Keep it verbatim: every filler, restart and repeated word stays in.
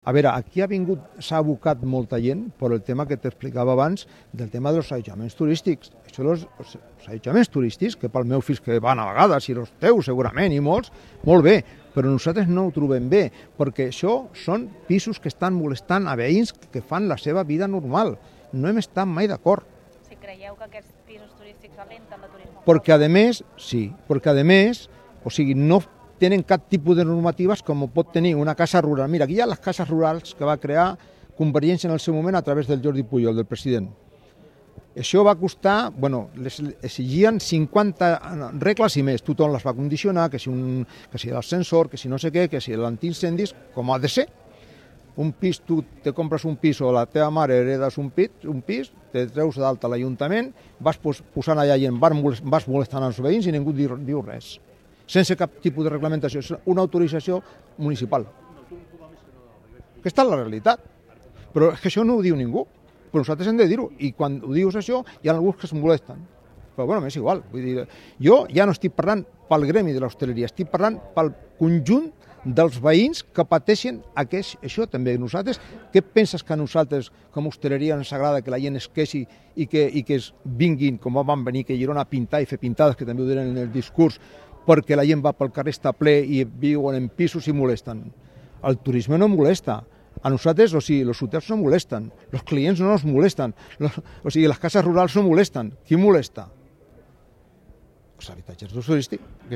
A veure, aquí ha vingut, s'ha abocat molta gent per el tema que t'explicava abans del tema dels allotjaments turístics. Això dels allotjaments turístics, que pel meu fills que van a vegades, i els teus segurament, i molts, molt bé, però nosaltres no ho trobem bé, perquè això són pisos que estan molestant a veïns que fan la seva vida normal. No hem estat mai d'acord. Si creieu que aquests pisos turístics alenten el turisme? Perquè, a més, sí, perquè, a més, o sigui, no tenen cap tipus de normatives com pot tenir una casa rural. Mira, aquí hi ha les cases rurals que va crear Convergència en el seu moment a través del Jordi Pujol, del president. Això va costar, bueno, les exigien cinquanta regles i més. Tothom les va condicionar, que si, un, que si l'ascensor, que si no sé què, que si l'antiincendis, com ha de ser. Un pis, tu te compres un pis o la teva mare heredes un pis, un pis te treus d'alta a l'Ajuntament, vas posant allà gent, vas molestant els veïns i ningú diu, diu res. Sense cap tipus de reglamentació, és una autorització municipal. Aquesta és la realitat. Però és que això no ho diu ningú. Però nosaltres hem de dir-ho. I quan ho dius això, hi ha alguns que es molesten. Però bueno, m'és igual. Vull dir, jo ja no estic parlant pel gremi de l'hostaleria, estic parlant pel conjunt dels veïns que pateixen aquest, això també. Nosaltres, què penses que a nosaltres, com a hostaleria, ens agrada que la gent es queixi i que, i que es vinguin, com van venir, que Girona a pintar i fer pintades, que també ho diran en el discurs, perquè la gent va pel carrer, està ple i viuen en pisos i molesten. El turisme no molesta. A nosaltres, o sigui, els hotels no molesten, els clients no ens molesten, o sigui, les cases rurals no molesten. Qui molesta? Els habitatges turístics.